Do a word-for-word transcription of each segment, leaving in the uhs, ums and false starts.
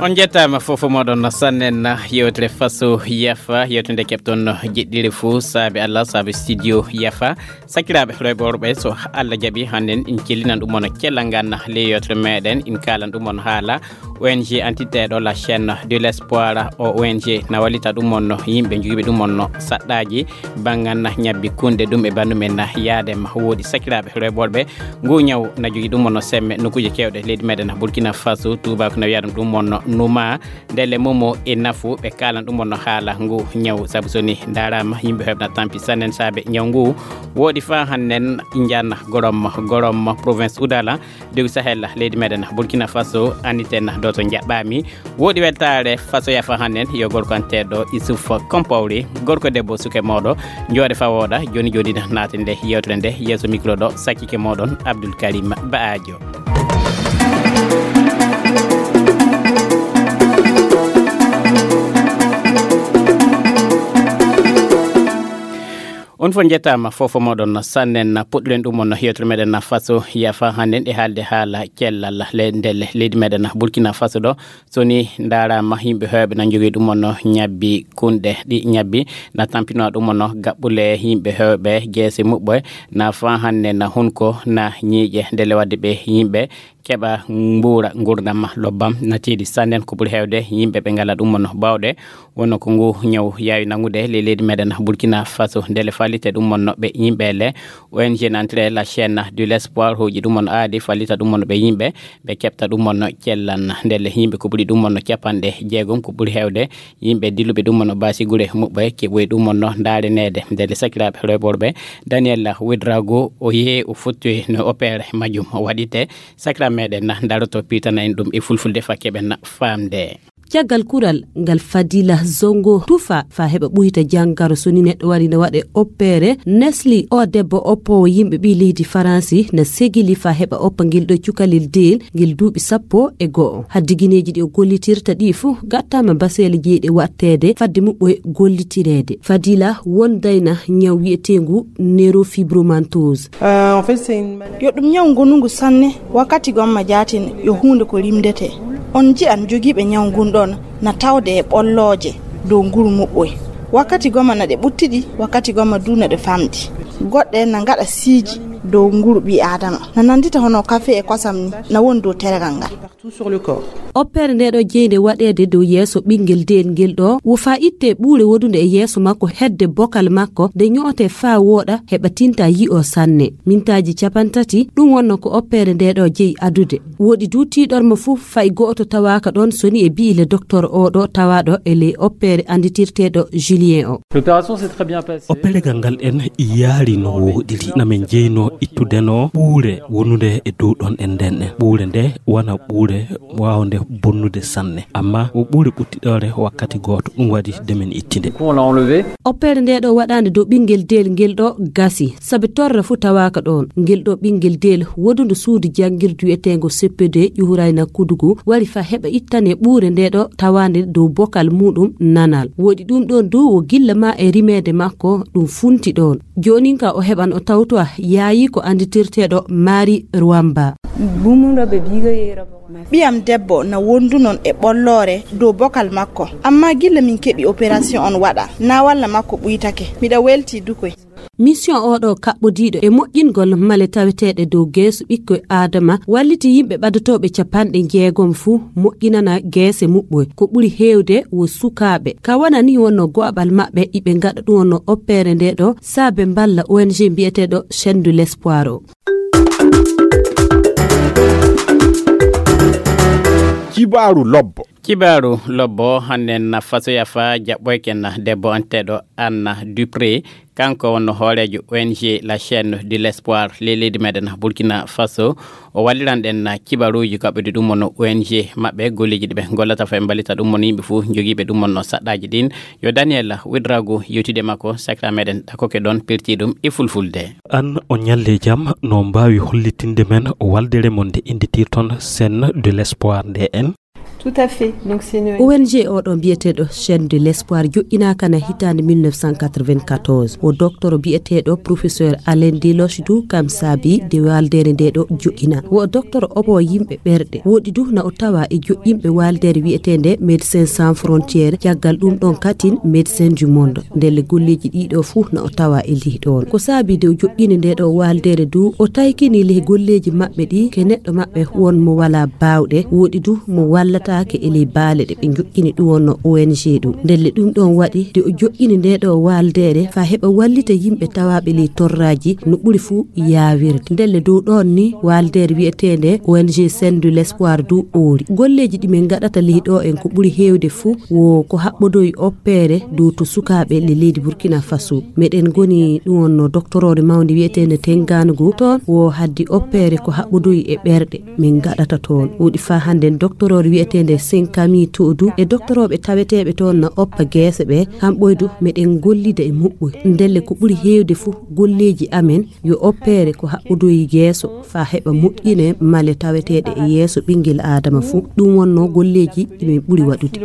On njettaama fof moɗon sannen yewtere faso yafa yewtere nde keɓton jeɗɗire fuu saabe Allah saabe studio yafa. Sakiraaɓe rewɓe worɓe so Allah jaɓi hannden in cellinan ɗum on cellal ngal ley yewtere meɗen in kaalan ɗum on haala O N G antiteeɗo la chaîne de l'espoir o O N G na wallita ɗum on yimɓe jogiiɓe ɗum on saɗɗaaji banngan ñabbi kunde ɗum e banndum en yaade ma woodi sakiraaɓe rewɓe worɓe. Ngu ñaw na jogii ɗum on semme nokkuuje keewɗe leydi meɗen Burkina Faso tuubaako na wiya ɗum ɗum on numa. Ndelle momo e nafu ɓe kaalan ɗum on haala ngu ñaw sabu so ni ndaaraama yimɓe heɓna tampi sannen saabe ñaw ngu woodi faa hannen. Njanna gorom gorom province Oudala dogi Sahel leydi meɗen Burkina Faso aniten doto njaɓɓaami. Woodi weltaare faso yafa hannen yo gorko anteeɗo Isuf Kompawri gorko debbo suke mooɗo. Jooɗe faa wooɗa jooni jooni naaten nde yewtere nde yeeso micro ɗo sakkike mooɗon Abdoul Karim Ba'ajo. On fof njettaama fof moɗon sannen puɗɗuɗen ɗum on yewtere meɗen faso yafa hannden e haalde haala cellal le ndelle leydi meɗen Burkina Faso ɗo. So ni ndaaraama yimɓe heewɓe na njogii ɗum on ñabbi kunɗe ɗi ñabbi na tampinoo ɗum on gaɓɓule yimɓe heewɓe jeese muɓɓoye na faa hannde na hunko na ñiiƴe ndelle waɗde ɓe yimɓe keɓa mbuura nguurndam lobbam na tiiɗi sannen ko ɓuri heewde yimɓe ɓe ngala ɗum on baawɗe. Wonno ko ngu ñaw yaawi nanngude ley leydi meɗen Burkina Faso ndelle fallite ɗum on ɓe yimɓe le O N G nantre la chaîne de l'espoir hooji ɗum on aadi fallita ɗum on ɓe yimɓe ɓe keɓta ɗum on cellan ndelle yimɓe ko ɓuri ɗum on capanɗe jeegom ko ɓuri heewde yimɓe dilluɓe ɗum on baasi gure muɓɓe keɓoyi ɗum on ndaareneede ndelle sakiraaɓe rewɓe worɓe. Daniel Ouedraogo o yehi o fotti no opere majjum waɗite sakiraaɓe meɗen daroto piitana en ɗum e fulfulde fa keɓen faamde. Caggal kural ngal Fadila Zongo tufa fa heɓa ɓuyta janngaro so ni neɗɗo wari ne waɗe oppeere nesli o debbo oppoowo yimɓe ɓii leydi Faransi na segili fa heɓa oppa ngel ɗo cukalel deel ngel duuɓi sappo e go'o haddi gineeji ɗi o gollitirta ɗi fuu gattaama baseele jeyɗe waɗteede fadde muɓɓoye gollitireede Fadila wondayna ñaw wi'eteengu nerofibromantose. Yo ɗum ñaw ngonungu sanne wakkati gomma jaatin yo huunde ko rimdete. On ji'an jogiiɓe ñaw ngun ɗon na tawde e ɓollooje dow nguru muɓɓoy. Wakkati gomma na ɗe ɓuttiɗi wakkati gomma du na ɗe famɗi. Goɗɗe na ngaɗa siiji dow nguru ɓii aadama na nanndita hono kafe e kosam ni na woni dow teregal ngal. Oppeere nde ɗo jeynde waɗeede dow yeeso ɓinngel deel ngel ɗo wo faa itte ɓuure wodunde e yeeso makko hedde bokal makko nde ño'ote faa wooɗa heɓa tinta yi'o sanne mintaaji capantati ɗum wonno ko oppeere nde ɗo jeyi adude woɗi du tiiɗorma fuu fay go'oto tawaaka ɗon so ni e bi'i le docteur o ɗo tawaaɗo e ley oppeere annditirteeɗo Julien o. Opperegal ngal en yaari no wooɗiri na min jeyno ittudeno ɓuure wonunde e dow ɗon en nden en ɓuure nde wona ɓuure waawde bonnude sanne amma o ɓuure ɓuttiɗoore wakkati gooto ɗum waɗi nde min ittinde. Oppeere nde ɗo waɗaande dow ɓinngel deel ngel ɗo gasi sabi torra fuu tawaaka ɗoon ngel ɗo ɓinngel deel wodundo suudu janngirdu wiyeteengo C P D ƴuhurayna kudugu wari fa heɓa ittane ɓuure nde ɗo tawaande dow bokal muuɗum nanal woɗi ɗum ɗoon du wo gilla ma e rimeede makko ɗum funti ɗoon. Joonin ka o heɓan o tawtowa yaayi ko annditirteeɗo Maari Ruwamba. Ɓiyam debbo na wondunon e ɓolloore dow bokal makko, ammaa gilla min keɓi operasiyon on waɗa, na walla makko ɓuytake. Miɗa weltii dukoy. Misiyon oo ɗoo kaɓɓodiiɗo e moƴƴingol male taweteeɗe dow geeso ɓikkoy Aadama walliti yimɓe ɓadotooɓe capanɗe njeegom fuu moƴƴinana geese muɓɓoy. Ko ɓuri heewde wo sukaaɓe. Ka wona nii wonnoo go'aɓal maɓɓe iɓe ngaɗa ɗum wonnoo oppeere ndee ɗoo saabe mballa O N G mbiyeteeɗo Chaîne de l'Espoir oo. Kibaaru lobbo. Kibaaru lobbo hannden na fasoya fa jaɓɓoyken debbo anteeɗo Anna Dupré. Kanko wonno hooreejo O N G La Chaîne de l'Espoir ley leydi meɗen Burkina Faso. O walliran ɗen kibaruuji kaɓɓude ɗum wonno O N G maɓɓe golleeji ɗi ɓe gollata fa ɓe mballita ɗum wonno yimɓe fof jogiiɓe ɗum wonno saɗɗaaji ɗin. Yo Daniel Ouedraogo yewtide makko sakira meɗen ɗakoke ɗon perti ɗum e fulfulde. An o ñalle jam no mbaawi hollitinde men waldere mon nde innditirton Chaîne de l'Espoir nde en? Tout à fait. Donc c'est une O N G oɗo mbiyeteeɗo Chaîne de l'Espoir joƴƴinaaka na hitaande mille neuf cent quatre-vingt-quatorze. O docteur biyeteeɗo professeur Alain Deloche du kam saabi de waaldeere nde ɗo joƴƴina. Wo o docteur obo yimɓe ɓerɗe. Woɗi du na o tawa e joƴƴinɓe waaldeere wiyeteende Médecins Sans Frontières, caggal ɗum ɗon katin Médecins du Monde. Ndelle golleeji ɗiɗo fuu na o tawa e lih ɗoon. Ko saabi de o joƴƴini nde ɗo waaldeere du, o taykini lih golleeji maɓɓe ɗi ke neɗɗo maɓɓe won mo walaa baawɗe, woɗi du mo wallataake e ley baale ɗe ɓe joƴƴini ɗum wonno O N G ɗum. Ndelle ɗum ɗoon waɗi de o joƴƴini nde ɗo waaldeere faa heɓa wallita yimɓe tawaaɓe ley torraaji no ɓuri fuu yaawirde. Ndelle dow ɗoon ni waaldeere wiyeteende O N G Chaîne de l'Espoir du oori. Golleeji ɗi min ngaɗata ley ɗo en ko ɓuri heewde fuu wo ko haɓɓodoyi oppeere dow to sukaaɓe le leydi Burkina Faso. Meɗen ngoni ɗum wonno doctoroore mawnde wiyeteende Tenganugu. Toon wo haddi oppeere ko haɓɓodoyi e ɓerɗe min ngaɗata toon. Woɗi faa hannden doctoroore wiyeteende Senkami to du e doctorooɓe taweteeɓe toon na oppa geese ɓe. Kamɓoy du meɗen gollida e muɓɓoy. Ndelle ko ɓuri heewde fuu golleeji amen yo oppeere ko haɓɓodoyi geeso faa heɓa moƴƴine male taweteeɗe e yeeso ɓinngel aadama fuu. Ɗum wonno golleeji ɗi min ɓuri waɗude.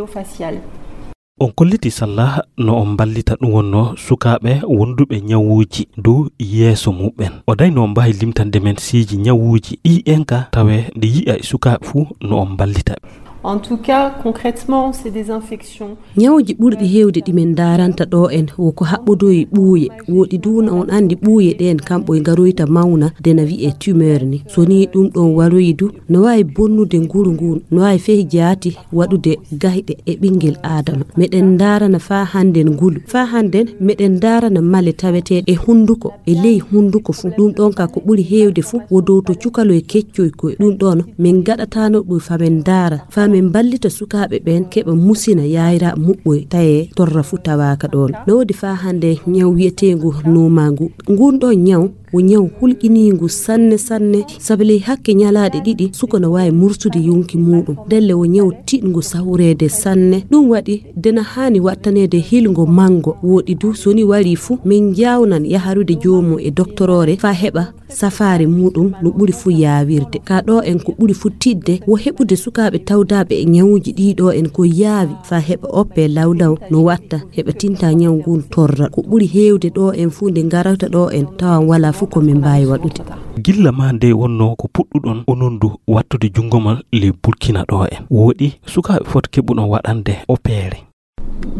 On kolliti salla no on mballita ɗum wonno sukaaɓe wonduɓe ñawuuji dow yeeso muɓɓen. O dayno mbaawi limtande men siiji ñawuuji ɗi en ka tawe ɗi yi'a e sukaaɓe fuu no on mballita ɓe. En tout cas, concrètement, c'est des infections. Ñawuuji ɓurɗi heewde ɗi min ndaaranta ɗo en wo ko haɓɓodoyi ɓuuye. Woɗi du na on anndi ɓuuye ɗeen kamɓoy ngaroyta mawna de na wi'e tumeur ni. So ni ɗum ɗon waroyi du no waawi bonnude nguru ngun, no waawi fehi jaati waɗude gayɗe e ɓinngel aadama. Meɗen ndaarana faa hannden ngulu. Faa hannden meɗen ndaarana male taweteeɗe e hunnduko, e ley hunnduko fuu. Ɗum ɗon ka ko ɓuri heewde fuu wo dow to cukaloy keccoy koy. Ɗum ɗon min ngaɗataano ɗum faa min ndaara, faa min mballita sukaaɓe ɓeen keɓa musina yaayra muɓɓoy tawee torra fuu tawaaka ɗoon. No woodi faa hannde ñaw wiyeteengu nuumaangu. Ngun ɗon ñaw wo ñaw hulɓiniingu sanne sanne, sabi ley hakke ñalaaɗe ɗiɗi suka no waawi mursude yonki muuɗum. Ndelle wo ñaw tiɗngu sawreede sanne. Ɗum waɗi de na haani waɗtaneede hilngo manngo. Woɗi du so ni warii fuu min njaawnan yaharude joomum e doktoroore faa heɓa safaare muuɗum no ɓuri fuu yaawirde. Ka ɗo en ko ɓuri fuu tiɗde wo heɓude sukaaɓe tawdaaɓe e ñawuuji ɗii ɗo en ko yaawi faa heɓa oppe lawlaw no watta heɓa tinta ñaw ngun torra. Ko ɓuri heewde ɗo en fuu nde ngarata ɗo en tawan walaa fuu ko min mbaawi waɗude. Gilla maa nde wonno ko puɗɗuɗon onon du wattude junngo mon ley Burkina ɗo en. Woɗi sukaaɓe fot keɓuɗon waɗande oppeere.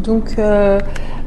Donc, euh,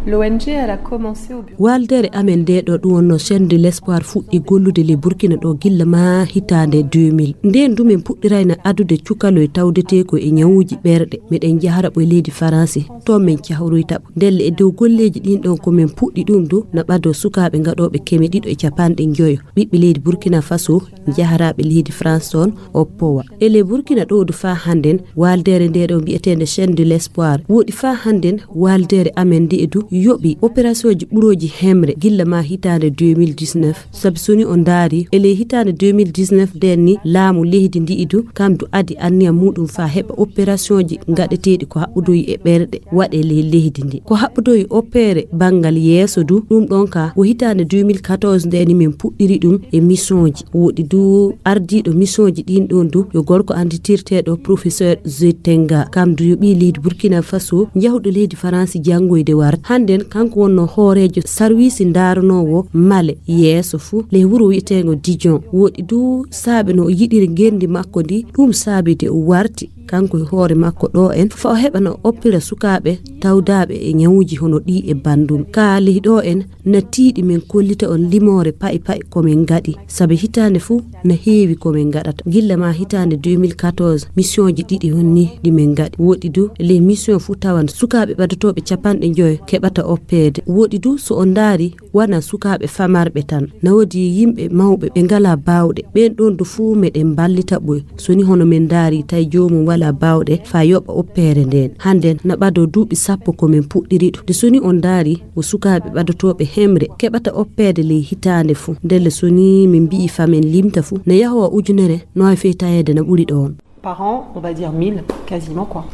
l'O N G, elle a commencé au bureau. Waaldeere amen nde ɗo ɗum wonno Chaîne de l'Espoir fuɗɗi gollude ley Burkina ɗo gilla maa hitaande deux mille. Ndeen du min puɗɗirayna adude cukaloy tawdetee ko e ñawuuji ɓerɗe. Meɗen njahara ɓo e leydi Faransi, toon min cahroyta ɓo. Ndelle e dow golleeji ɗin ɗon ko min puɗɗi ɗum du na ɓado sukaaɓe ngaɗooɓe keme ɗiɗo e capanɗe njoyo. Ɓiɓɓe leydi Burkina Faso, jaharaaɓe leydi France toon, oppowa. E ley Burkina ɗo du faa hannden, waaldeere nde ɗo mbiyeteende Chaîne de l'Espoir. Woɗi faa hannden, waaldeere amen nde e du yoɓi opérationji ɓurooji hemre gilla maa hitaande deux mille dix-neuf. Sabi so ni on ndaari, e ley hitaande deux mille dix-neuf nden ni, laamu leydi ndi e du, kam du adi anniya muuɗum faa heɓa opérationji ngaɗeteeɗi ko haɓɓodoyi e ɓerɗe waɗe ley leydi ndi. Ko haɓɓodoyi oppeere banngal yeeso du, ɗum ɗon ka wo hitaande deux mille quatorze nde ni min puɗɗiri ɗum e missionji. Woɗi du ardiiɗo missionji ɗin ɗon du yo gorko annditirteeɗo professeur Zitenga. Kam du yo ɓii leydi Burkina Faso, njahuɗo leydi Faransi janngoyde warde. Hannden kanko wonno hooreejo sarwiisi ndaaranoowo male yeeso fuu ley wuro wi'eteengo Dijon. Woɗi du saabe no o yiɗiri ngenndi makko ndi, ɗum saabi de o warti. Kanko e hoore makko ɗo en, faa o heɓa no oppira sukaaɓe tawdaaɓe e ñawuuji hono ɗii e banndum. Ka ley ɗo en, na tiiɗi min kollita on limoore pa'i pa'i ko min ngaɗi. Sabi hitaande fuu na heewi ko min ngaɗata. Gilla maa hitaande deux mille quatorze, missionji ɗiɗi honni ɗi min ngaɗi. Woɗi du, ley mission fuu tawan sukaaɓe ɓadotooɓe capanɗe njoyo keɓata oppeede. Woɗi du, so on ndaari, wona sukaaɓe famarɓe tan. Na woodi yimɓe mawɓe ɓe ngalaa baawɗe. Ɓeen ɗoon du fuu meɗen mballita ɓoy. So ni hono min ndaari tawi joomum walaa baawɗe faa yoɓa oppeere ndeen. Hannden na ɓado duuɓi sappo ko min puɗɗiri ɗum. Nde so ni on ndaari wo sukaaɓe ɓadotooɓe hemre keɓata oppeede ley hitaande fuu. Ndelle so ni min mbi'i faa min limta fuu, na yahowa ujunere no waawi fey taweede na ɓuri ɗoon. Par an, on va dire mille, quasiment quoi.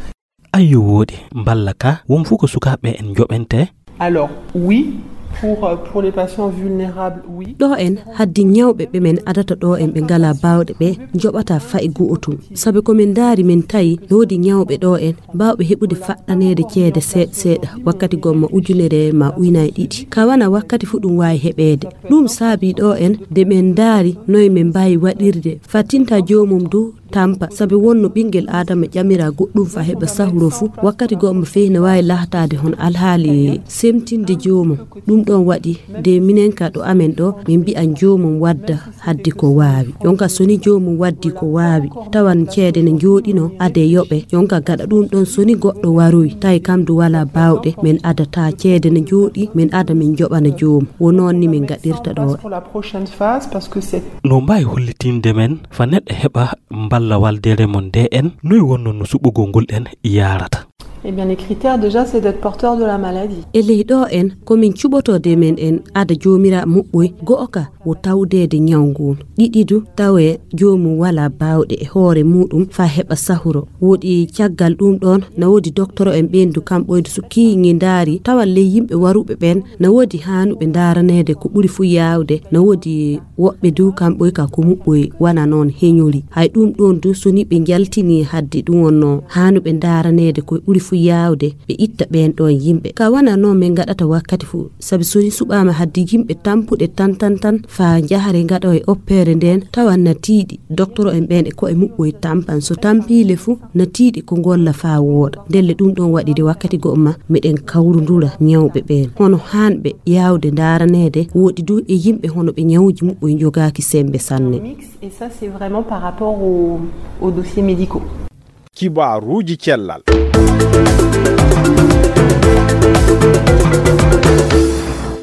Ayyo woɗi, mballa ka, won fuu ko sukaaɓe en njoɓente? Alors, oui, Pour, euh, pour les patients vulnérables, oui. Ɗo en haddi ñawɓe ɓe men adata ɗo en ɓe ngalaa baawɗe ɓe njoɓata fayi go'otum. Sabi ko men ndaari men tawi no woodi ñawɓe ɗo en baawɓe heɓude faɗɗaneede ceede seeɗa seeɗa, wakkati gomma ujunere ma uynaye ɗiɗi. Ka wana wakkati fu ɗum waawi heɓeede. Ɗum saabi ɗo en nde men ndaari noye men mbaawi waɗirde. Fattinta joomum du tampa, sabi wonno ɓinngel Aadama ƴamira goɗɗum fa heɓa sahuro fu, wakkati gomma fehi ne waawi lahtaade hono alhaali semtinde joomum. Ɗum ɗon waɗi nde minen ka ɗo amen ɗo, min mbi'an joomum wadda haddi ko waawi. Yonka soni joomum waddi ko waawi, tawan ceede ne njooɗino ade yoɓe. Yonka gaɗa ɗum ɗon soni goɗɗo waroyi, tawi kam du wala baawɗe, min adata ceede ne njooɗi, min ada min joɓana joomum. Wo noon ni min gaɗirta ɗo. Pour la prochaine phase, parce que c'est No mbaawi hollitinde men fa neɗɗo heɓa mballa waldere mon nde en, noy wonno no suɓugol ngol en yaarata? Eh bien, les critères déjà, c'est d'être porteur de la maladie. E ley ɗo en, ko min cuɓotoo de men en ada joomira muɓɓoy, go'o ka wo tawdeede ñaw ngun. Ɗiɗi du, tawe joomum wala baawɗe e hoore muɗum fa heɓa sahuro. Woɗi caggal ɗum ɗon, na woodi doktoro en ɓen du kam ɓoydu so kiiŋi ndaari, tawa ley yimɓe waruɓe ɓen, na woodi haanuɓe ndaaraneede ko ɓuri fu yaawde, na woodi woɓɓe du kam ɓoy ka ko muɓɓoy wana noon heñori. Hay ɗum ɗon du so ni ɓe njaltini haddi ɗum wonno haanuɓe ndaaraneede ko ɓuri fu yaawde, ɓe itta ɓen ɗon yimɓe. Ka wana noon min ngaɗata wakkati fu, sabi so ni suɓaama haddi yimɓe tampuɗe tan tan tan fa njahare ngaɗo e oppeere nden, tawa na tiiɗi. Doktoro en ɓen e ko'e muɓɓoy tampan. So tampiile fu, na tiiɗi ko ngolla faa wooɗa. Ndelle ɗum ɗon waɗi de wakkati go'o ma, meɗen kawrundura ñawɓe ɓen. Hono haanɓe yaawde ndaaraneede, woɗi du e yimɓe hono ɓe ñawuji muɓɓoy njogaaki sembe sanne. Et ça, c'est vraiment par rapport au, aux dossiers médicaux. Kibaaruuji cellal.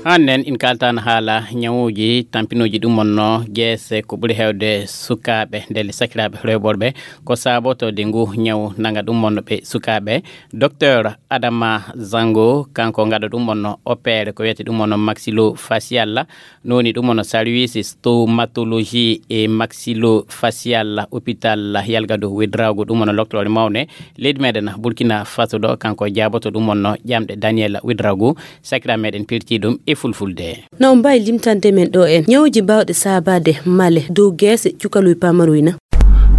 Hannen in kaltan haala ñawuji tampinooji ɗum wonno geese ko ɓuri heewde sukaaɓe, ndelle sakiraaɓe rewɓe worɓe, ko saabotoo de ngu ñaw nanga ɗum wonno ɓe sukaaɓe. Docteur Adama Zango, kanko ngaɗo ɗum wonno opéré ko wiyete ɗum wonno maxillofacial, no woni ɗum wonno service stomatologie et maxillofacial hôpital Yalgado Ouédraogo, ɗum wonno loktoore mawne leydi meɗen Burkina Faso ɗo, kanko jaaboto ɗum wonno ƴamɗe Daniel Ouédraogo, sakira meɗen pirti ɗum e fulfulde. Na on mbaawi limtande men ɗo en ñawuji baawɗe saabaade male dow geese cukaluy pamaruy na?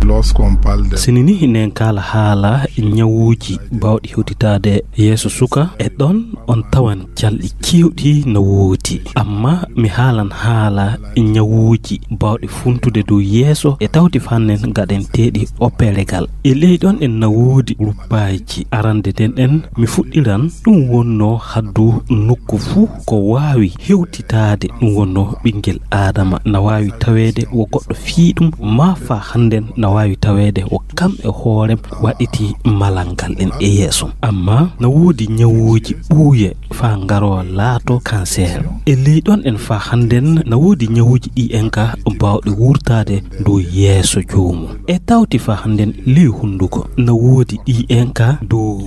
Lorsqu'on parle de Sini ni nen kala haala ñawuji baawɗi hewtitaade yeeso suka, e ɗon on tawan calɗi kewɗi no woodi. Amma mi haalan haala ñawuji baawɗi funtude dow yeeso e tawti fannen gaɗenteeɗi operegal. E ley ɗon en na woodi ruppaaji. Arande nden en mi fuɗɗiran ɗum wonno haddu nokku fuu ko waawi hewtitaade. Ɗum wonno ɓinngel Aadama na waawi taweede wo goɗɗo fii ɗum, maa faa hannden na waawi taweede wo kam e hoorem waɗiti malal ngal en e yeeso. Amma na woodi ñawuuji ɓuuye faa ngaroo laato kanseer. E ley ɗon en faa hannden na woodi ñawuuji ɗi en ka baawɗi wurtaade dow yeeso joomum. E tawti faa hannden ley hunnduko na woodi ɗi en ka dow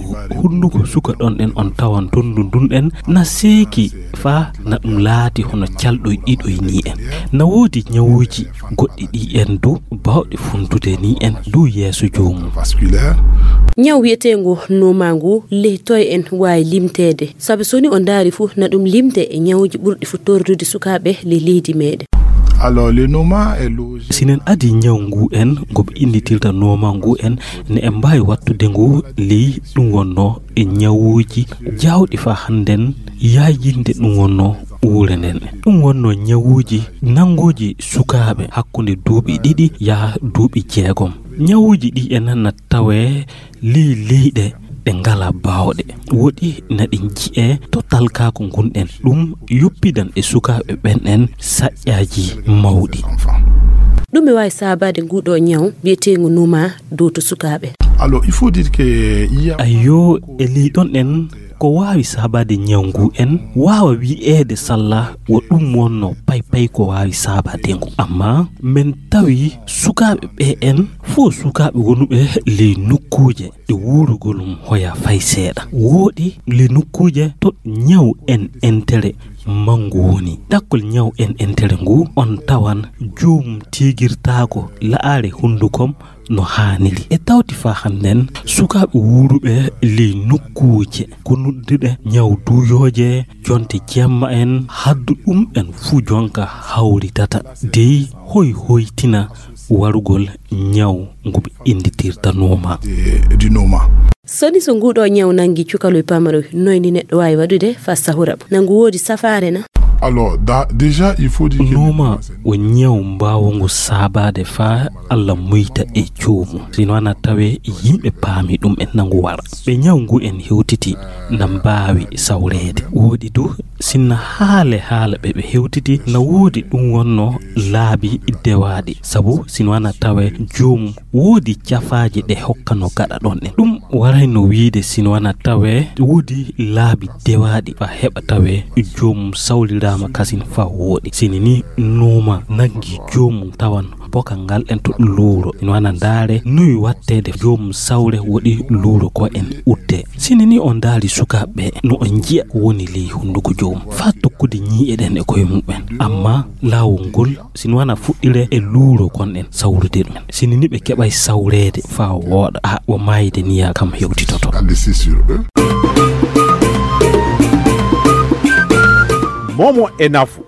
hunnduko suka ɗon en on tawan tondu ndun en na seeki faa na ɗum laati hono calɗoy ɗiɗoy ni en. Na woodi ñawuuji goɗɗi ɗi en du baawɗi funtude ni en du yeeso joomum. Vasculaire. Ñaw wiyeteengu noma ngu ley toye en waawi limteede? Sabi so ni o ndaari fu na ɗum limte e ñawuuji ɓurɗi fu tordude sukaaɓe ley leydi meɗen. Alors, le noma est logique. Sinen adi ñaw ngu en ngo ɓe innditirta noma ngu en ne en mbaawi wattude ngu ley ɗum wonno e ñawuuji jawɗi faa hannden yaajinde ɗum wonno uure nden. Ɗum wonno ñawuuji nannguuji sukaaɓe hakkunde duuɓi ɗiɗi yaha duuɓi jeegom. Ñawuuji ɗi en na tawee ley leyɗe ɗe ngalaa baawɗe. Woɗi na ɗi nji'ee to talkaaku ngun en. Ɗum yoppidan e sukaaɓe ɓen en saƴƴaaji mawɗi. Ɗum e waawi saabaade ngu ɗo ñaw mbiyeteengu numa dow to sukaaɓe. Alors, il faut dire que il y a Ayyo, e ley ɗon en ko waawi saabaade ñaw ngu en waawa wi'eede salla wo ɗum wonno paypay ko waawi saabaade ngu. Amma men tawi sukaaɓe ɓe en fof sukaaɓe wonuɓe ley nokkuuje ɗe wuurugol mum hoya fay seeɗa. Wooɗi ley nokkuuje to ñaw en entere manngu woni. Ɗakkol ñaw en entere ngu on tawan joomum tiigirtaako la'aare hunndukom no haaniri. E tawti faa hannden, sukaaɓe wuuruɓe ley nokkuuje ko nodduɗe ñaw duuyooje, jonte jemma en, haddu ɗum en fuu jonka hawritata. Dey hoy hoytina warugol ñaw ngu ɓe innditirta nooma. Soni so nguuɗoo ñaw nanngi cukaloy pamaroy, noy ni neɗɗo waawi waɗude faa sahura mo? Na ngu woodi safaare na? Alors, da- déjà, il faut dire que Nooma o ñaw mbaawo ngu saabaade faa Alla muyta e joomum. Sino ana tawe yimɓe paami ɗum en na ngu wara. Ɓe ñaw ngu en hewtiti na mbaawi sawreede. Woodi du sinna haale haala ɓe ɓe hewtiti na woodi ɗum wonno laabi dewaaɗi. Sabu sino ana tawe joomum woodi cafaaji ɗe hokkano gaɗa ɗon en. Ɗum warayno wiide sino ana tawe woodi laabi dewaaɗi faa heɓa tawe joomum sawliraama kasin faa wooɗi. Sini ni nooma nanngi joomum tawan boka ngal en to luuro. Sino ana ndaare nuy watteede joomum sawre woɗi luuro ko en udde. Sini ni on ndaari sukaaɓe no on njiya ko woni ley hunnduko joomum faa tokkude ñii'e ɗen e koye mumen. Amma laawol ngol sino ana fuɗɗire e luuro kon en sawrude ɗum. Sini ni ɓe keɓay sawreede faa wooɗa. A wo maayde niya kam hewtitoto. Momo e nafu.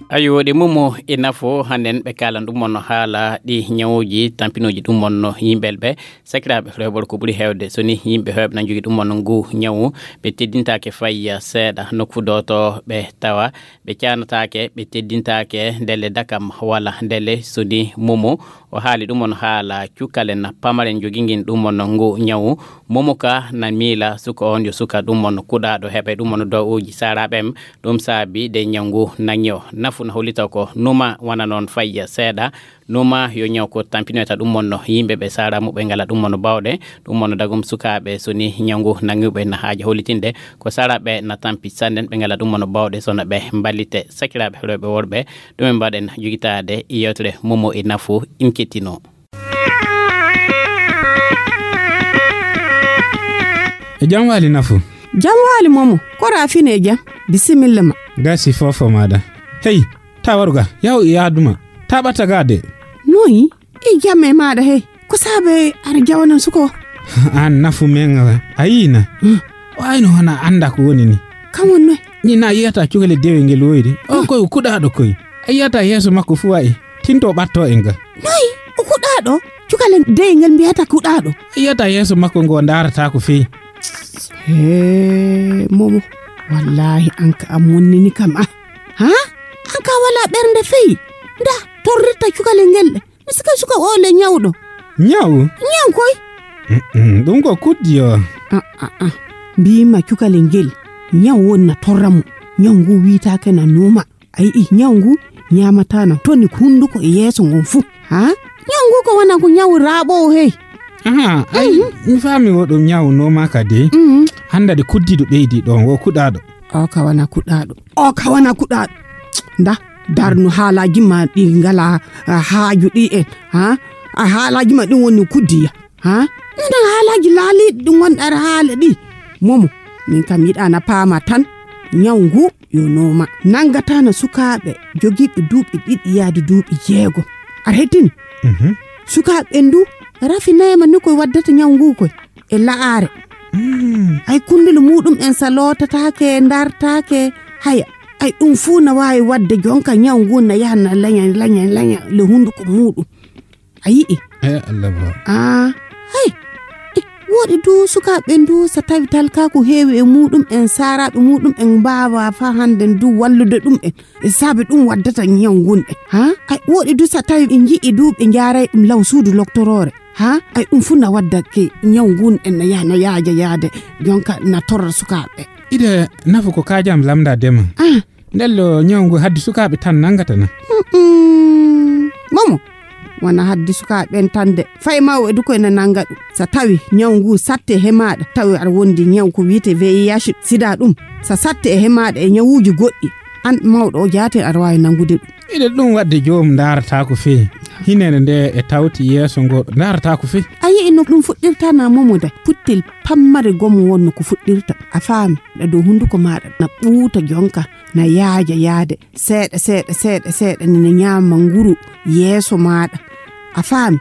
Ayo, ɗe momo e nafo hannden ɓe kaalan ɗum on no haala ɗi ñawuuji tampinooji ɗum on no yimɓel ɓe sakiraaɓe rewɓe ko ɓuri heewde so ni yimɓe heewɓe na njogi ɗum on no ngu ñawu ɓe teddintaake fay seeɗa nokku dooto ɓe tawa ɓe caanataake ɓe teddintaake ndelle dakam wala ndelle so ni momo o haali ɗum on haala cukalen pamaren jogingin ɗum on ngu ñawu momo ka na miila suka on yo suka ɗum on kuɗaaɗo heɓe ɗum on dowuuji saaraaɓe em. Ɗum saabi de ñaw ngu naŋi o nafu na hollita ko numa wana noon fayya seeɗa. Numa yo ñaw ko tampinoyta ɗum wonno yimɓe ɓe sara muɓe ngala ɗum wonno bawɗe ɗum wonno dagum sukaaɓe so ni ñaw ngu naŋiɓe na haaja hollitinde ko sara ɓe na tampi sannden ɓe ngala ɗum wonno bawɗe so na ɓe mballite sakiraaɓe rewɓe worɓe. Ɗum en mbaɗen jogitaade yewtere momo e nafu. In kettino. E jam waali nafu. Jam waali momo. Ko rafine e jam. Bisimilla ma. Gasi fofo maɗa. Hey, ta waru ga. Yahu e yaaduma. Ta ɓatta ga de. Noyi? E jam e maɗa hey. Ko saabe aɗa jawanan suko? An nafu men a yina. Wayno hona anda ko woni ni. Kam won noy? Ni na yiyata cugale dewe ngel woyde. O koy kuɗaɗo koy. A yiyata yeeso makko fu wa'i. Tinto ɓatto en ga. Noy? O kuɗaɗo? Cukale dey ngel mbiyata kuɗaɗo. A yiyata yeeso makko ngo ndaratako fey. He momo. Wallahi an ka a monnini kam a. Ha? An ka wala ɓernde fey. Nda torrirta cukale ngel ɗe. Mi sika suka o le ñawɗo. Ñaw? Ñaw koy. Ɗum ko kuddi o. Aa mbima cukale ngel. Ñaw wonna torra mo. Ñaw ngu wiytaake na nuuma. A yi'i ñaw ngu ñaamatana toni hunduko e yeeso ngon fuu. Ha? Ñaw ngu ko wona ko ñaw raaɓoowo hey. Aha, ay, mi faami wo ɗum ñaw nooma ka de. Hannda de kuddiiɗo ɓeydi ɗon wo kuɗaaɗo. O ka wona kuɗaaɗo. O ka wona kuɗaaɗo. Nda, darnu haalaaji ma ɗi ngala haaju ɗi en. Ha? A haalaaji ma ɗin woni kuddiya. Ha? Nda haalaaji laaliiɗi ɗi ngonɗa aɗa haala ɗi. Momo, min kam yiɗa na paama tan. Ñaw ngu yo nooma. Nanngataana sukaaɓe jogiiɓe duuɓi ɗiɗi yaade duuɓi jeegom. Aɗa heɗtini? Sukaaɓe ɓen du rafinayma ni koye waddata ñaw ngu koye e la'aare. Ay kunndule muɗum en sa lootataake ndartaake haya. Ay ɗum fuu na waawi waɗde jonka ñaw ngu na yaha na laña laña laña le hunnduko muɗum. A yi'i? Eey Allah ba. Aa, hey. Woɗi du sukaaɓe ɓen du so tawi talkaaku heewi e muɗum en saaraaɓe muɗum en mbaawa faa hannden du wallude ɗum en. E saabe ɗum waddata ñaw ngun en. Ha? Ay woɗi du so tawi ɓe nji'i du ɓe njaaray ɗum law suudu loktoroore. Ha? Ay ɗum fuu na waddake ñaw ngun en na yaha na yaaja yaade jonka na torra sukaaɓe. Ide nafu ko kaajam lamda dema. Ah. Ndello ñaw ngu haddi sukaaɓe tan nanngata na. Momo wona haddi sukaaɓe ɓen tan de fay mawɓe du koye na nannga ɗum. So tawi ñaw ngu satti e hemaaɗa tawi aɗa wondi ñaw ko wiyetee V I H sida ɗum. So satti e hemaaɗa e ñawuuji goɗɗi an mawɗo o jaaten aɗa waawi nanngude ɗum. Miɗen ɗum waɗde joom ndaarataa ko fehi. Hinere nde e tawti yeeso ngo ndaarataa ko fehi. A yi'i no ɗum fuɗɗirta na momo da puttel pammare gomo wonno ko fuɗɗirta. A faami, ɗa dow hunduko maaɗa na ɓuuta jonka, na yaaja yaade, seeɗa, seeɗa, seeɗa, seeɗa, ni na ñaama nguru yeeso maaɗa. A faami?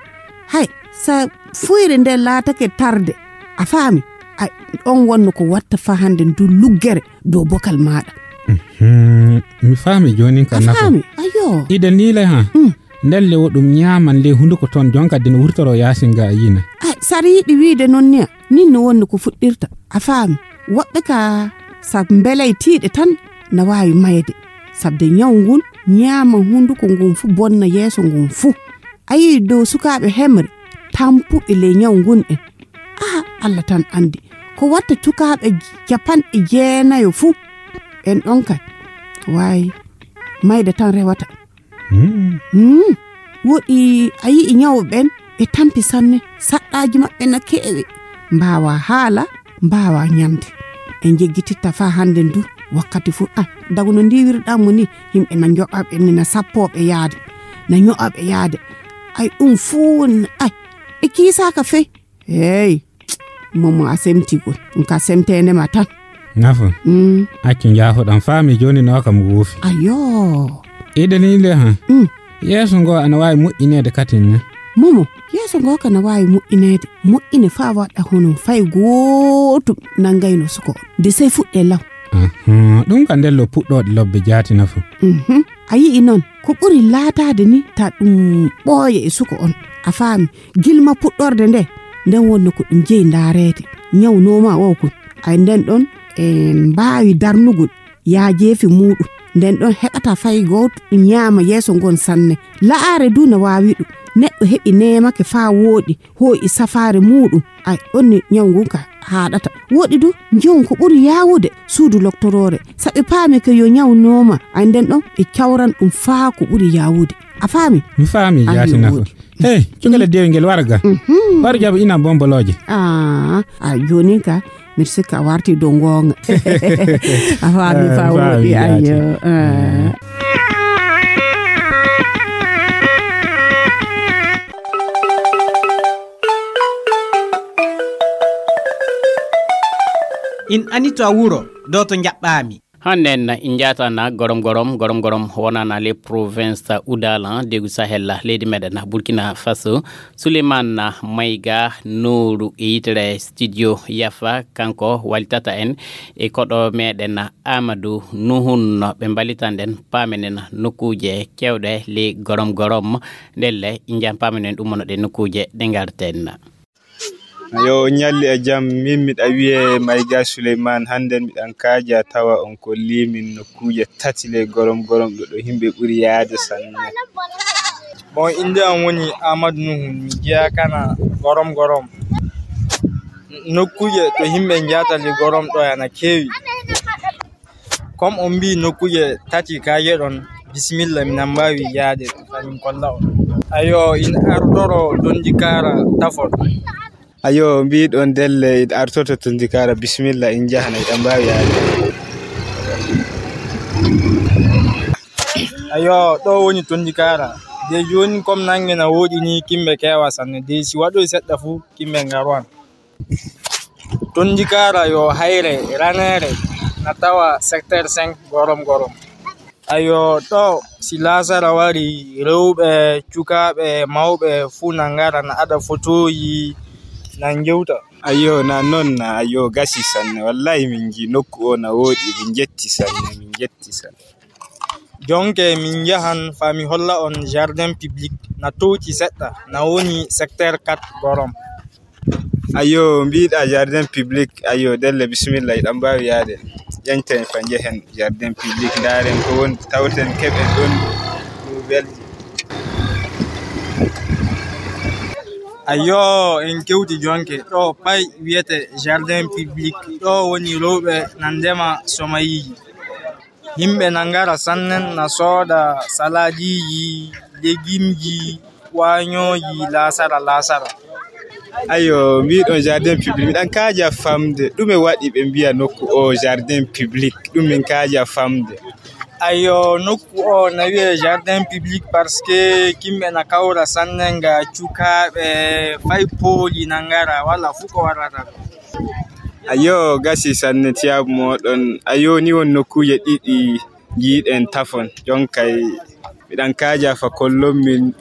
Hay, sa fuyre nde laatake tarde. A faami? Ay, ɗon wonno ko watta fa hande ndu luggere dow bokal maaɗa. Mhm. Mi faami joonin ka A nafa. Faami? Ayo. Ida ni le ha. Mm. Ndelle wo ɗum ñaaman le hunduko ton jonka dina wurtoro yaasin ga a yina. Ay, sari yiɗi wiide non niya. Nin no wonno ko fuɗɗirta. A faami? Woɓɓe ka sa mbelay tiiɗe tan na waawi mayde. Sabde ñaw ngun ñaama hunduko ngun fu bonna yeeso ngun fu. A yi'i dow sukaaɓe hemre tampuɓe ley ñaw ngun en. Aha, Allah tan andi. Ko watta cukaaɓe capanɗe jeenayo fu. En ɗon kay. Waayi, mayde tan rewata. Hmm. Hmm. Woɗi a yi'i ñawɓe ɓen ɓe tampi sanne. Saɗɗaaji maɓɓe na keewi. Mbaawa haala, mbaawa ñamde. En jeggititta faa hande ndu wakkati fu. Ah, dagu no ndiwirɗaa mo ni, yimɓe na njoɓaɓe ni, na sappooɓe yaade, na ño'aɓe yaade. Ay, ɗum fuu woni, ay, ɓe kiisaaka fey. Hey, momo a semti gol. Ɗum ka semteende ma tan. Nafa. Mm. Accu njaafoɗam faami jooni no kam goofi. Ayo. Iɗen ni le ha. Mm. Yeeso ngo ana waawi moƴƴineede katin ne. Momo, yeeso ngo ka na waawi moƴƴineede. Moƴƴine faa waɗa hono fay gootum nanngayno suko on. De sey fuɗɗee law. Ahan, ɗum ka ndello puɗɗooɗe lobbe jaati nafa. Mhm. A yi'i noon, ko ɓuri laataade ni ta ɗum ɓooya e suko on. A faami, gilma puɗɗorde nde, nden wonno ko ɗum jeyi ndaareede. Ñawnoo ma o kun. Ay nden ɗon en mbaawi darnugol yaajeefi muuɗum. Nden ɗon heɓata fay gooto ɗum ñaama yeeso ngon sanne. La'aare du no waawi ɗum. Neɗɗo heɓi neemake faa wooɗi, hoo'i safaare muuɗum. Ay, ɗon ni ñaw ngun ka haaɗata. Wooɗi du, nji'on ko ɓuri yaawude suudu loktoroore. Saɓe paami ko yo ñaw nooma, ay nden ɗon ɓe cawran ɗum faa ko ɓuri yaawude. A faami? Mi faami, Ay, jaati yo nafa. Wooɗi. Hey, cukala dewi ngel wara ga. Mhm. War jaɓa ina bombolooje. Ah, a jooni ka, miɗo sikka a warti dow ngoonga. A faami Eh, faa mi faami, wooɗi, jaati. Ayo. Ah. In ani to a wuro, ɗo to njaɓɓaami. Hannde en njatana gorom gorom, gorom gorom wonana les provinces Oudala, degu Sahel, leydi meɗen Burkina Faso. Souleymane Mayga Nooru e yitere studio Yafa, kanko walitata en e koɗo meɗen Amadou Nuhun, ɓe mbalitan ɗen paamenen nokkuuje kewɗe ley gorom gorom. Ndelle, injan paamenen ɗum wonno ɗe nokkuuje ɗe ngarten. Yo, on ñalli e jam. Min miɗa wiyee Mayga Souleymane. Hannden miɗan kaaja tawa on kollii min nokkuuje tati ley gorom gorom ɗo, ɗo yimɓe ɓuri yaade sanne. Bon, innde am woni Amadou Nuhu, mi jeyaa kana gorom gorom. Nokkuuje to yimɓe njahata ley gorom ɗo ana keewi. Comme on mbii nokkuuje tati kaaje ɗon, bisimilla, minan mbaawi yaade, kamin kolla on. Ayo, in artoro Tondikara tafon. Ayo, mbiɗon ndelle, in artoto Tondikara, bisimilla, in njahana, iɗan mbaawi yaade. Ayo, ɗo woni Tondikara. De jooni, comme nannge na wooɗi ni, kimɓe keewa sanne. De si waɗoy seɗɗa fuu, kimɓe ngarowan. Tondikara yo hayre raneere na tawa secteur cinq gorom gorom. Ayo, ɗo si laasara wari, rewɓe, cukaaɓe, mawɓe fuu na ngara, na ada fotooji, na njewta. Ayo, na non na, ayo, gasi sanne. Wallahi min nji nokku o na wooɗi, min njetti sanne, min njetti sanne. Jonke min njahan faa mi holla on jardin public na tooti seɗɗa, na woni secteur quatre gorom. Ayo, mbiɗa jardin public, ayo, ndelle, bisimilla, iɗan mbaawi yaade. Ƴeñten fa njehen jardin public, ndaaren ko woni, tawten keɓen ɗon nouvelle ji. Ayo, en kewti jonke. Ɗo pay wiyete jardin public. Ɗo woni rewɓe na ndema somayiiji. Yimɓe na ngara sannen na sooda salaadiiji, legimji, waañooji, laasara, laasara. Ayo, mbiɗon jardin public. Miɗan kaaja famde. Ɗume waɗi ɓe mbiya nokku o jardin public? Ɗum min kaaja famde. Ayo, nokku o na wiyee jardin public parce que yimɓe na kawra sanne nga cukaaɓe fay pooli na ngara, wala fuu ko warata ɗo. Ayo, gasi sanne tiyaabu mooɗon. Ayo, ni won nokkuuje ɗiɗi njiiɗen tafon. Jonkay, miɗan kaaja fa kollon min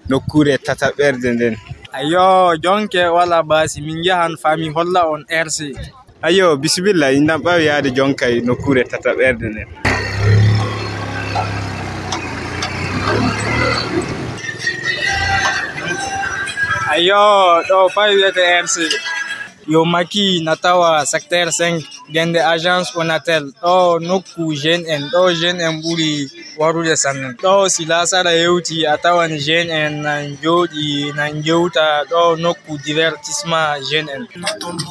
nokkuure tataɓerde nden. Ayo, jonke wala baasi, min njahan fa mi holla on R C. Ayo, bisimilla, inɗan ɓaawi yaade jonkay nokkuure tataɓerde nden. Ayo, ɗo fay wiyete R C. Yo maki na tawa secteur cinq, gende agence Onatel. Ɗo nokku jeune en, ɗo jeune en ɓuri warude sanne. Ɗo si laasara hewti, a tawan jeune en nan jooɗi, nan jewta. Ɗo nokku divertissement jeune en.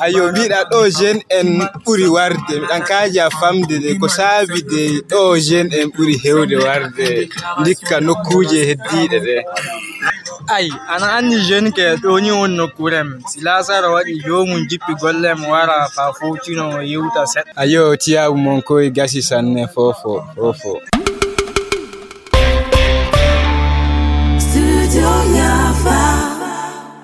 Ayo, mbiɗa ɗo jeune en ɓuri warde. Miɗan kaaja famde de ko saabi de ɗo jeune en ɓuri hewde warde. Ndikka nokkuuje heddiiɗe ɗe. Ay, ana anndi jeune ke ɗo ni won nokkuure am. Si laasara waɗi, joomum jippi golle am wara fa fowtino yewta seɗɗa. Ayo, tiyaabu mon koy gasi sanne fofo, fofo. Studio Yafa.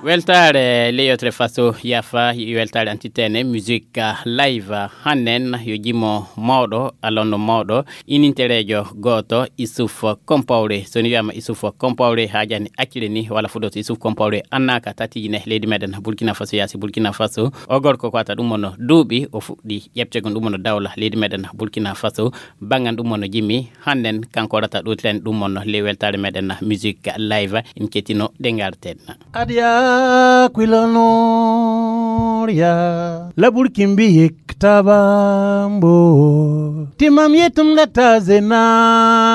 Weltaare leyotre faso Yafa, weltaare antitene musique live. Hannen yo jimo mawɗo, alonno mawɗo, inintereejo gooto, Isuf Kompawre. So ni wiyama Isuf Kompawre, haajani accire ni, wala fuɗoto Isuf Kompawre annaka tatijine leydi meɗen Burkina Faso, yaasi Burkina Faso. O gorko ko wata ɗum mono duuɓi, o fuɗɗi ƴeɓtegol ɗum mono dawla leydi meɗen Burkina Faso. Bangan ɗum mono jimmi, hannen kanko rata ɗo tlen ɗum mono le weltaare meɗen musique live, en kettino ɗe ngarten. Adia kwilonor ya. Labur kimbi yek tabambo. Timam yetum da tazenabu.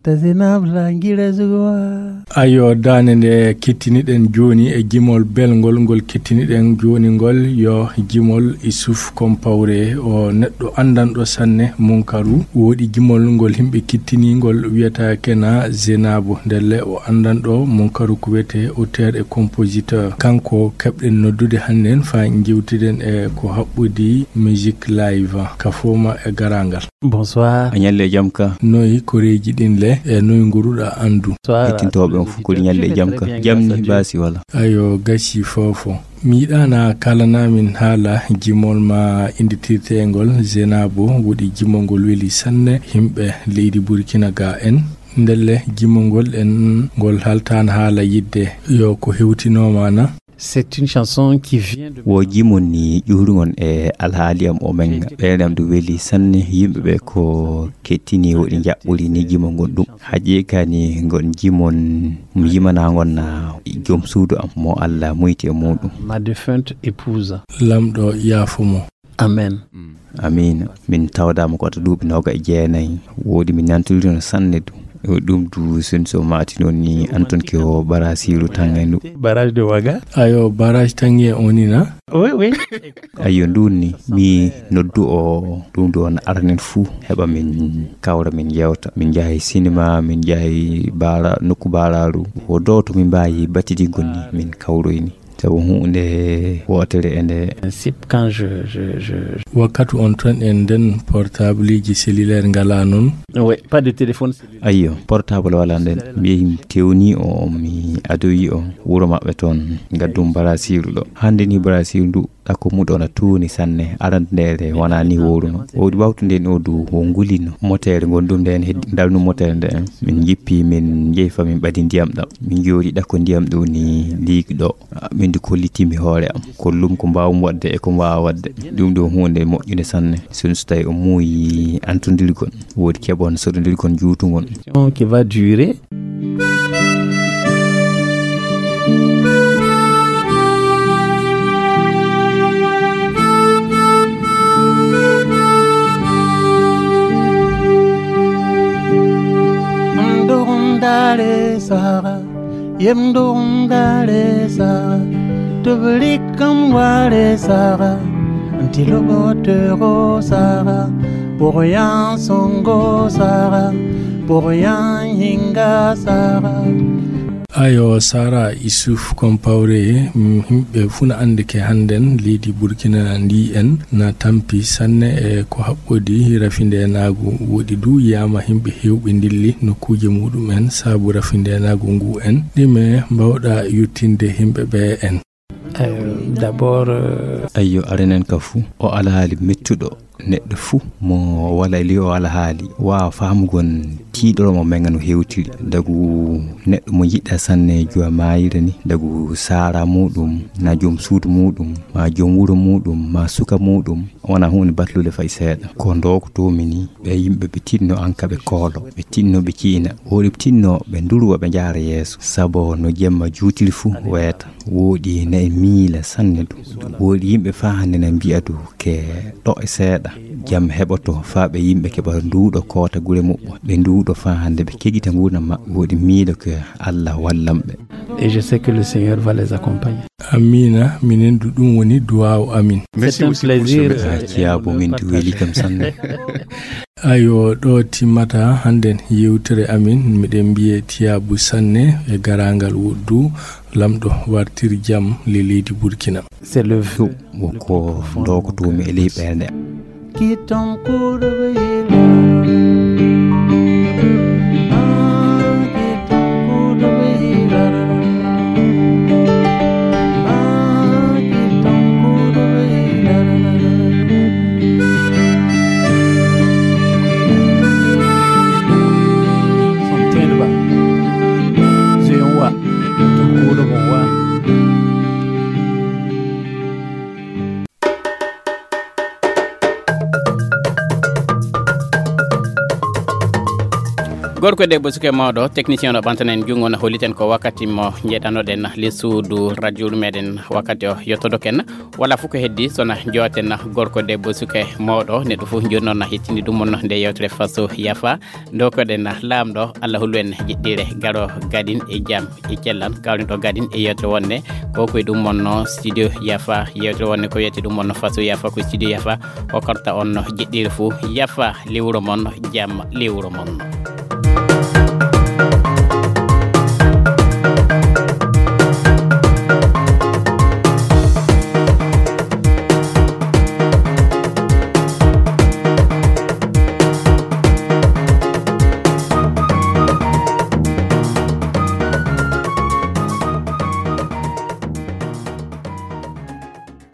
Tazenabu la ngira zuwa. Ayo, daande nde kettiniɗen jooni e jimol belngol, ngol kettiniɗen jooni ngol yo jimol Isuf Kompawre, o neɗɗo anndanɗo sanne Munkaru. Woodi jimol ngol yimɓe kettini, ngol wiyata Kena Zenabu. Ndelle o anndanɗo Munkaru ko wiyete auteur e compositeur. Kanko keɓɗen noddude hannden faa njeewtiden e ko haɓɓodi musique live. Ka fooma e garangal. Bonsoir. A ñalle e jam ka. Noy koreeji ɗin le, e noy nguruɗa anndu? Bonsoir. Hettintooɓe on fof ko ñalle e jam ka. Jam ni baasi wala? Ayo, gasi fofo. Mi yiɗaana kaalana min haala jimol ma innditirteengol Zenabo, woɗi jimol ngol weli sanne yimɓe leydi Burkina ga en. Ndelle jimol ngol en ngol haltaana haala yidde. Yo ko hewtinooma na? C'est une chanson qui vient de Wo jimol ni ƴuurugon e alhaali am o men. Ɓeyɗe am ɗum weli sanne. Yimɓe ɓe ko kettini woɗi njaɓɓuri ni jimol ngon ɗum. Haƴi kani ngon jimol mo yimana ngon na joom suudu am mo Allah muyti e muɗum. Ma défunte épouse. Lamɗo yaafo mo. Amen. Amiin. Min tawdaama ko wata duuɓi nooga e jeenayi. Woodi mi nantondirno sanne du. Ɗum du sen so maati noon ni Anton ke o Barasiiru Tangay ndu. Barrage de Waga. Ayo, barrage Tangay o ni na? Oui, oui. Ayo, ndun ni mi noddu o ɗum du on aranen fuu heɓa min kawra min yewta. Min njahay sinima, min njahay baara, nokku baaraaru. Wo dowto min mbaawi battidiggol ni min kawroyni. Sabu huunde wootere e nde. Principe, quand je, je, je, je Wakkati on ton en nden portableji cellulaire ngala non. Oui, pas de téléphone cellulaire. Ayyo, portable wala nden. Mi yehi mi tewni o, mi adoyi o wuro maɓɓe ton, ngaddum Barasiiru ɗo. Hannde ni Barasiiru ndu ɗakko muɗo na tuuni sanne, arandere wona ni woruno. O wawtu nden o du o ngulino. Motere ngon ɗum nden heddi, dalnu motere nden. Min jippi, min jehi fa min ɓadi ndiyam ɗam. Min jooɗi ɗakko ndiyam ɗo ni liigi ɗo. Min du kollitimi hoore am, kollum ko mbaawmi waɗde e ko mi waawaa waɗde. Ɗum ɗo huunde moƴƴunde sanne. Sinno so tawi o muuyi antondirgol, woodi keɓon soɗondirgol juutungol. Qui va durer. Ndurndare Sara. Yem ndurndare Sara, tublikam ware Sara, ntilobotero Sara, poroyan songo Sara, poroyan hinga Sara. Ayo, Sara Isuf Kompawre, mm, himɓe fuu na anndi ke hannden leydi Burkina ndi en na tampi sanne e ko haɓɓodi rafindeenaagu. Woɗi du yiyaama himɓe heewɓe ndilli nokkuuje muɗum en sabu rafindeenaagu ngu en. Ɗime mbawɗa yuttinde himɓe ɓe en? Euh, d'abord, euh, Ayyo, arenen ka fuu, o alhaali mettuɗo. Neɗɗo fuu mo wala li o alhaali, waawa faamugol tiiɗoro mo men no hewtiri. Dagu neɗɗo mo yiɗɗa sanne juwa maayire ni, dagu saara muɗum, na joom suudu muɗum, ma joom wuro muɗum, ma suka muɗum, wona huunde batlude fay seeɗa. Ko ndokotoomi ni, ɓe yimɓe ɓe tinno an ka ɓe koolo, ɓe tinno ɓe ciina, woɗi tinno ɓe nduruwa ɓe njaara yeeso, sabo no jemma juutiri fuu weeta. Woɗi na e miila sanne ɗum. Woɗi yimɓe faa hannde na mbi'a du ke ɗo e seeɗa. Jam heɓoto faa ɓe yimɓe keɓa nduuɗo koota gure muɓɓo. Ɓe nduuɗo faa hannde ɓe keƴita nguurndam maɓɓe. Woɗi miilo ke Allah wallan ɓe. Et je sais que le Seigneur va les accompagner. Amiina, minen du ɗum woni duwaaw amin. C'est un plaisir. Ah, Ciyaabo, min du weli kam sanne. Ayo, ɗo timmata hannden yewtere amin. Miɗen mbiye tiyaabu sanne e garaangal woɗdu, Lamɗo wartir jam le leydi Burkina. C'est le vœu. Ɗum ko ndokotoomi e ley ɓernde. Gorko e debbo, suka e mawɗo, technicien o ɓantanen junngo, no holliten ko wakkati mo njeɗanoɗen le suudu radio meɗen. Wakkati o yottodoken, wala fof ko heddi sona jooten. Gorko e debbo, suka e mawɗo, neɗɗo fof jooni noon na hettini ɗum on nde yewtere Faso Yafa. Ndokoɗen Laamɗo, Allah hollu en jiɗɗire, garo gadin e jam e cellal, kawren ɗo gadin e yewtere wonde ko ko e ɗum wonno studio Yafa. Yewtere wonde ko wiyete ɗum wonno Faso Yafa, ko studio Yafa hokkorta on jiɗɗire fuu. Yafa lewru mon, jam lewru mon.